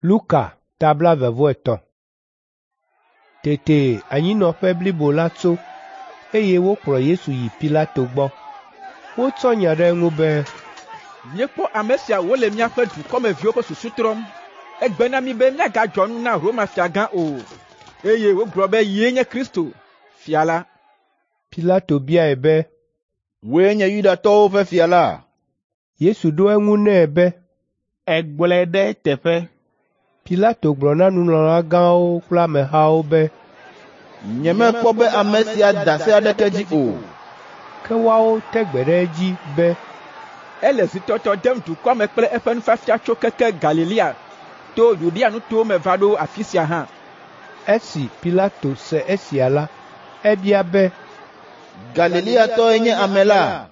Luka ta 23. Tete anyinɔƒe blibo la tso, eye wokplɔ Yesu yi Pilato gbɔ. Wotsɔ nya ɖe eŋu be, Míekpɔ ame sia wòle míaƒe dukɔmeviwo ƒe susu trɔm. Egbe na mí be míagadzɔ nu na Roma fiagã o, eye wògblɔ be yee nye Kristo, fia la. Pilato biae be, Wòe nye Yudatɔwo ƒe fia la? Yesu ɖo eŋu nɛ be, Ègblɔe ɖe eteƒe. Pilato gblɔ na nunɔlagãwo kple amehawo be, Nyemekpɔ be ame sia da se aɖeke dzi o. Ke woawo te gbe ɖe edzi be, Ele zitɔtɔ dem dukɔa me kple eƒe nufiafia tso keke Galilea to Yudea nutowo me va ɖo afi sia hã. Esi Pilato se esia la, ebia be, Galileatɔe nye ame la?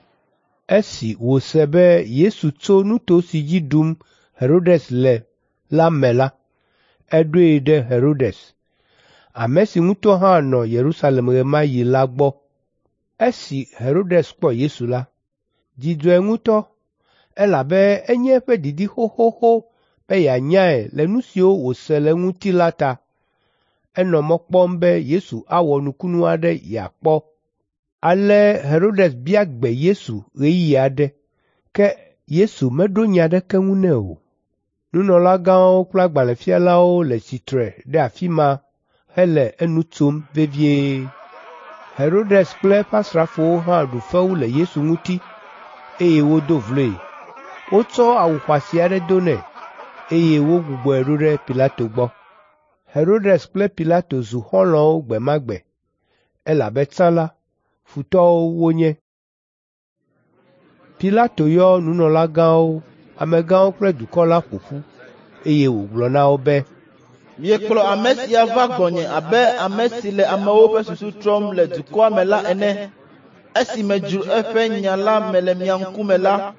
Esi wòse be Yesu tso nuto si dzi ɖum Herodes le la me la, eɖoe ɖe Herodes, ame si ŋutɔ hã nɔ Yerusalem ɣe ma ɣi la gbɔ. Esi Herodes kpɔ Yesu la, dzi dzɔe ŋutɔ, elabe enye eƒe didi xoxoxo be yeanyae le nu siwo wòse le eŋuti la ta. Enɔ mɔ kpɔm be Yesu awɔ nukunu aɖe yeakpɔ. Ale Herodes bia gbe Yesu ɣeyiɣi aɖe, ke Yesu meɖo nya aɖeke ŋu nɛ o. Nunɔlagãwo kple agbalẽfialawo le tsitre ɖe afi ma hele enu tsom vevie. Herodes kple eƒe asrafowo hã ɖu fewu le Yesu ŋuti, eye wodo vloe. Wotsɔ awu xɔasi aɖe do nɛ, eye wogbugbɔe ɖo ɖe Pilato gbɔ. Herodes kple Pilato zu xɔlɔ̃wo gbe ma gbe, elabe tsã la, futɔwo wonye. Pilato yɔ nunɔlagãwo, amegãwo kple dukɔ la ƒo ƒu, eye wògblɔ na wo be, Miekplɔ ame sia va gbɔnye abe ame si le amewo ƒe susu trɔm le dukɔa me la ene. Esi medzro eƒe nya la me le mia ŋkume la,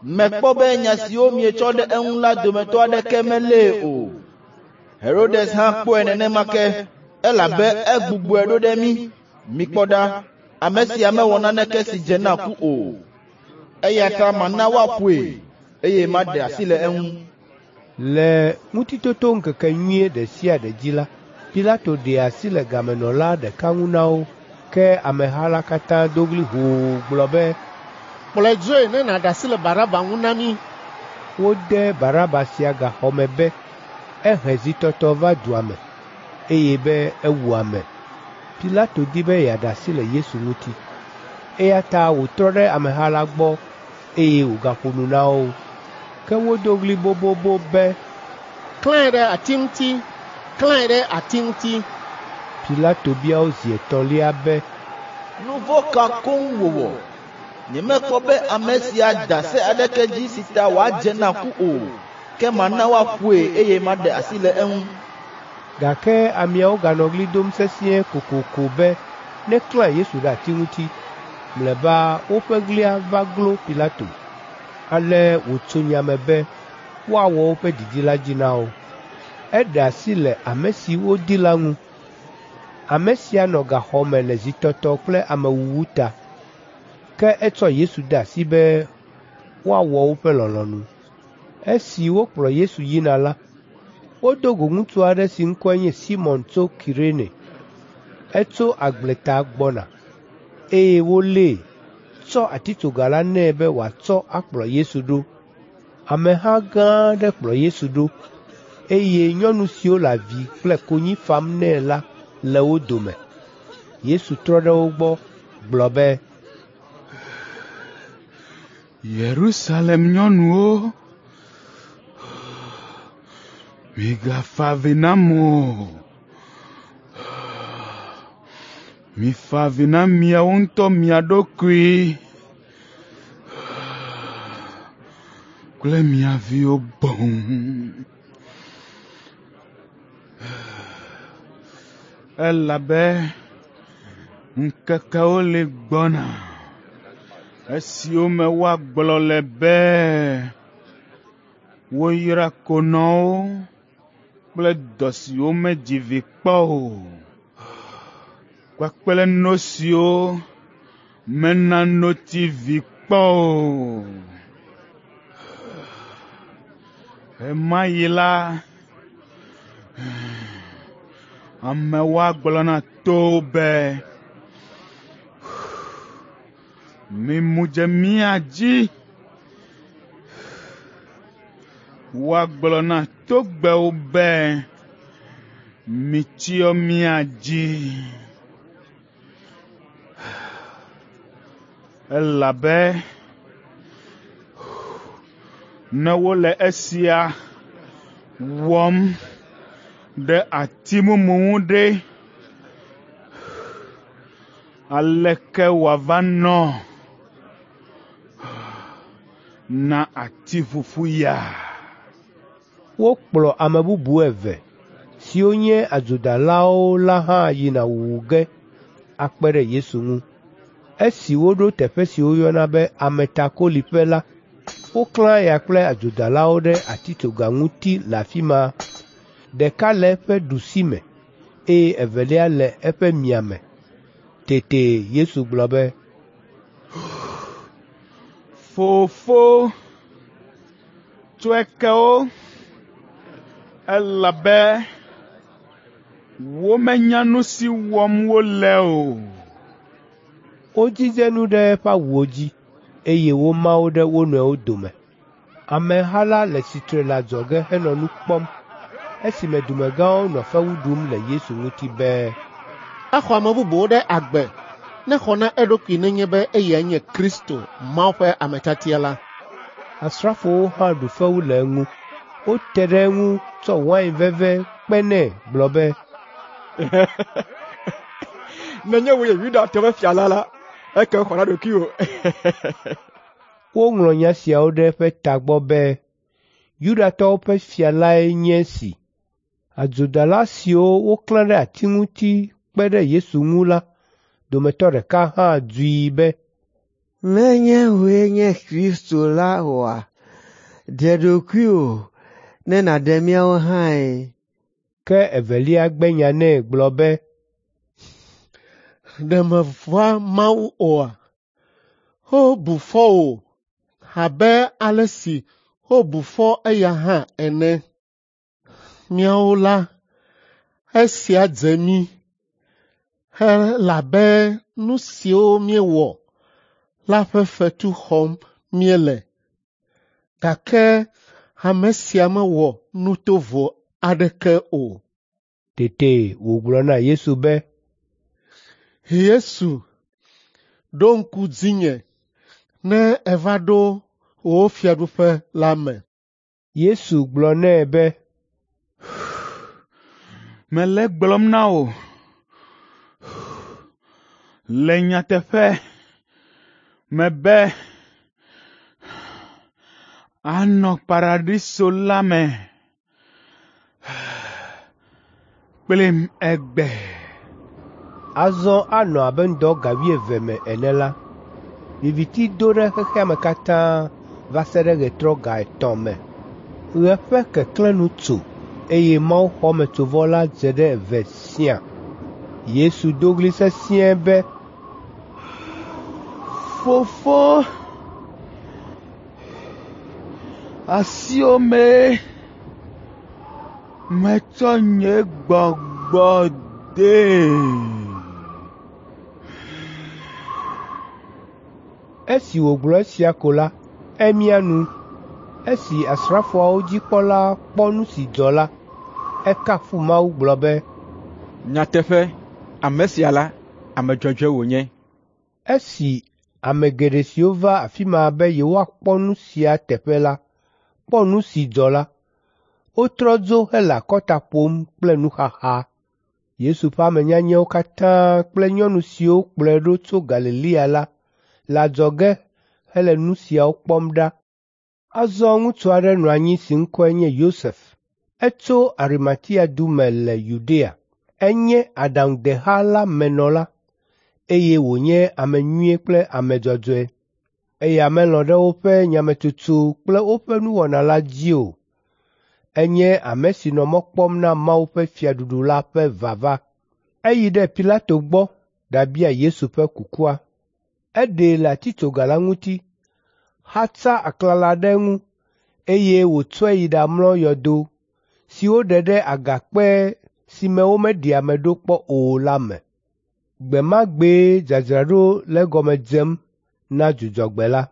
mekpɔ be nya siwo mietsɔ ɖe eŋu la dometɔ aɖeke melée o. Herodes hã kpɔe nenema ke, elabe egbugbɔe ɖo ɖe mí. Mikpɔ ɖa, ame sia mewɔ naneke si dze na ku o. Eya ta mana woaƒoe, eye maɖe asi le eŋu. Le Ŋutitotoŋkekenyui ɖe sia ɖe dzi la, Pilato ɖea asi le gamenɔla ɖeka ŋu na wo, ke ameha la katã do ɣli hoo gblɔ be, Kplɔe dzoe ne nàɖe asi le Baraba ŋu na mí. Wode Baraba sia gaxɔ me be ehe zitɔtɔ va dua me, eye be ewu ame. Pilato di be yeaɖe asi le Yesu ŋuti, eya ta wòtrɔ ɖe ameha la gbɔ, eye wògaƒo nu na wo. Ke wodo ɣli bobobo be, Klãe ɖe ati ŋuti! Klãe ɖe ati ŋuti! Pilato bia wo zi etɔ̃lia be, Nu vɔ̃ ka koŋ wòwɔ? Nyemekpɔ be ame sia da se aɖeke dzi si ta wòadze na ku o, ke mana woaƒoe eye maɖe asi le eŋu. Gake ameawo ganɔ ɣli dom sesĩe kokoko be neklã Yesu ɖe ati ŋuti. Mlɔeba woƒe ɣlia va glo Pilato. Ale wòtso nya me be woawɔ woƒe didi la dzi na wo. Eɖe asi le ame si wodi la ŋu. Ame sia nɔ gaxɔ me le zitɔtɔ kple amewuwu ta. Ke etsɔ Yesu de asi be woawɔ woƒe lɔlɔ̃nu. Esi wokplɔ Yesu yina la, wodo go ŋutsu aɖe si ŋkɔe nye Simɔn tso Kirene. Etso agbleta gbɔna, eye wolée, tsɔ atitsoga la nɛ be wòatsɔ akplɔ Yesu ɖo. Ameha gã aɖe kplɔ Yesu ɖo, eye nyɔnu siwo le avi kple konyi fam nɛ la le wo dome. Yesu trɔ ɖe wo gbɔ gblɔ be, Yerusalem nyɔnuwo, migafa avi nam o. Mifa avi na miawo ŋutɔ mia ɖokui kple mia viwo boŋ. Elabe ŋkekewo li gbɔna, esiwo me woagblɔ le be, woyra konɔwo kple dɔ siwo medzi vi kpɔ o, kpakple no siwo mena notsi vi kpɔ o. Ɣemaɣi la, Amewo agblɔ na towo be, ‘Mimu dze mía dzi!’ Woagblɔ na togbɛwo be, ‘Mitsyɔ mía dzi!’ Elabe ne wole esia wɔm ɖe ati mumu ŋu ɖe, aleke wòava nɔ na ati ƒuƒu ya?” Wokplɔ ame bubu eve, siwo nye adzodalawo la hã yina wuwu ge akpe ɖe Yesu ŋu. Esi woɖo teƒe si woyɔna be Ametakoliƒe la, woklã eya kple adzodalawo ɖe atitsoga ŋuti le afi ma, ɖeka le eƒe ɖusime, eye evelia le eƒe miame. Tete Yesu gblɔ be, “Fofo, tsɔe ke wo, elabe womenya nu si wɔm wole o.” Wodzidze nu ɖe eƒe awuwo dzi, eye woma wo ɖe wo nɔewo dome. Ameha la le tsitre le adzɔge henɔ nu kpɔm esime dumegãwo nɔ fewu ɖum le Yesu ŋuti be, Exɔ ame bubuwo ɖe agbe, nexɔ na eɖokui nenye be eyae nye Kristo, Mawu ƒe ame tiatia la.” Asrafowo hã ɖu fewu le eŋu. Wote ɖe eŋu tsɔ wain veve kpe nɛ gblɔ be, “Nenye wòe nye Yudatɔwo ƒe fia la la, ekema xɔ na ɖokuiwò.” Woŋlɔ nya siawo ɖe eƒe tagbɔ be, “Yudatɔwo ƒe fia lae nye esi.” Adzodala siwo woklã ɖe ati ŋuti kpe ɖe Yesu ŋu la dometɔ ɖeka hã dzui be, “Menye wòe nye Kristo la oa? Ɖe ɖokuiwò ne nàɖe míawo hãe.” Ke evelia gbe nya nɛ gblɔ be, “Ɖe mèvɔ̃a Mawu oa? Wobu fɔ wò abe ale si wobu fɔ eya hã ene. Míawo la, esia dze mí, elabe nu siwo míewɔ la ƒe fetu xɔm míele, gake ame sia mewɔ nu tovo aɖeke o.” Tete wògblɔ na Yesu be, “Yesu, ɖo ŋku dzinye ne èva ɖo wò fiaɖuƒe la me.” Yesu gblɔ nɛ be, “Mele egblɔm na wò le nyateƒe me be ànɔ Paradiso la me kplim egbe.” Azɔ anɔ abe ŋdɔ ga wuieve me ene la, viviti do ɖe xexea me katã va se ɖe ɣetrɔ ga etɔ̃ me. Ɣe ƒe keklẽ nu tso, eye mawuxɔmetsovɔ la dze ɖe eve siã. Yesu do ɣli sesĩe be, “Fofo, asiwò mee metsɔ nye gbɔgbɔ dee.” Esi wògblɔ esia ko la, emia nu. Esi asrafoawo dzikpɔla kpɔ nu si dzɔ la, ekafu Mawu gblɔ be, “Nyateƒe, ame sia la, ame dzɔdzɔe wònye.” Esi ame geɖe siwo va afi ma be yewoakpɔ nu sia teƒe la kpɔ nu si dzɔ la, wotrɔ dzo hele akɔta ƒom kple nuxaxa. Yesu ƒe ame nyanyɛwo katã kple nyɔnu siwo kplɔe ɖo tso Galilea la le adzɔge hele nu siawo kpɔm ɖa. Azɔ ŋutsu aɖe nɔ anyi si ŋkɔe nye Yosef. Etso Arimatia du me le Yudea. Enye aɖaŋudeha la me nɔla, eye wònye ame nyui kple ame dzɔdzɔe. Eya melɔ̃ ɖe woƒe nyametsotso kple woƒe nuwɔna la dzi o. Enye ame si nɔ mɔ kpɔm na Mawu ƒe fiaɖuɖu la ƒe vava. Eyi ɖe Pilato gbɔ ɖabia Yesu ƒe kukua. Eɖee le atitsoga la ŋuti, xatsa aklala ɖe eŋu, eye wòtsɔe yi ɖamlɔ yɔdo si woɖe ɖe agakpe si me womeɖi ame ɖo kpɔ o la me. Gbe ma gbee dzadzraɖo le egɔme dzem na Dzudzɔgbe la.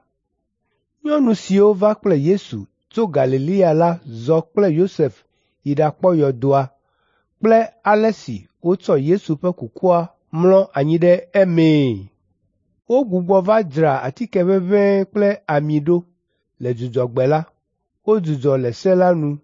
Nyɔnu siwo va kple Yesu tso Galilea la zɔ kple Yosef yi ɖakpɔ yɔdoa kple ale si wotsɔ Yesu ƒe kukua mlɔ anyi ɖe emee. Wogbugbɔ va dzra atike ʋeʋẽe kple ami ɖo. Le Dzudzɔgbe la, wodzudzɔ le se la nu.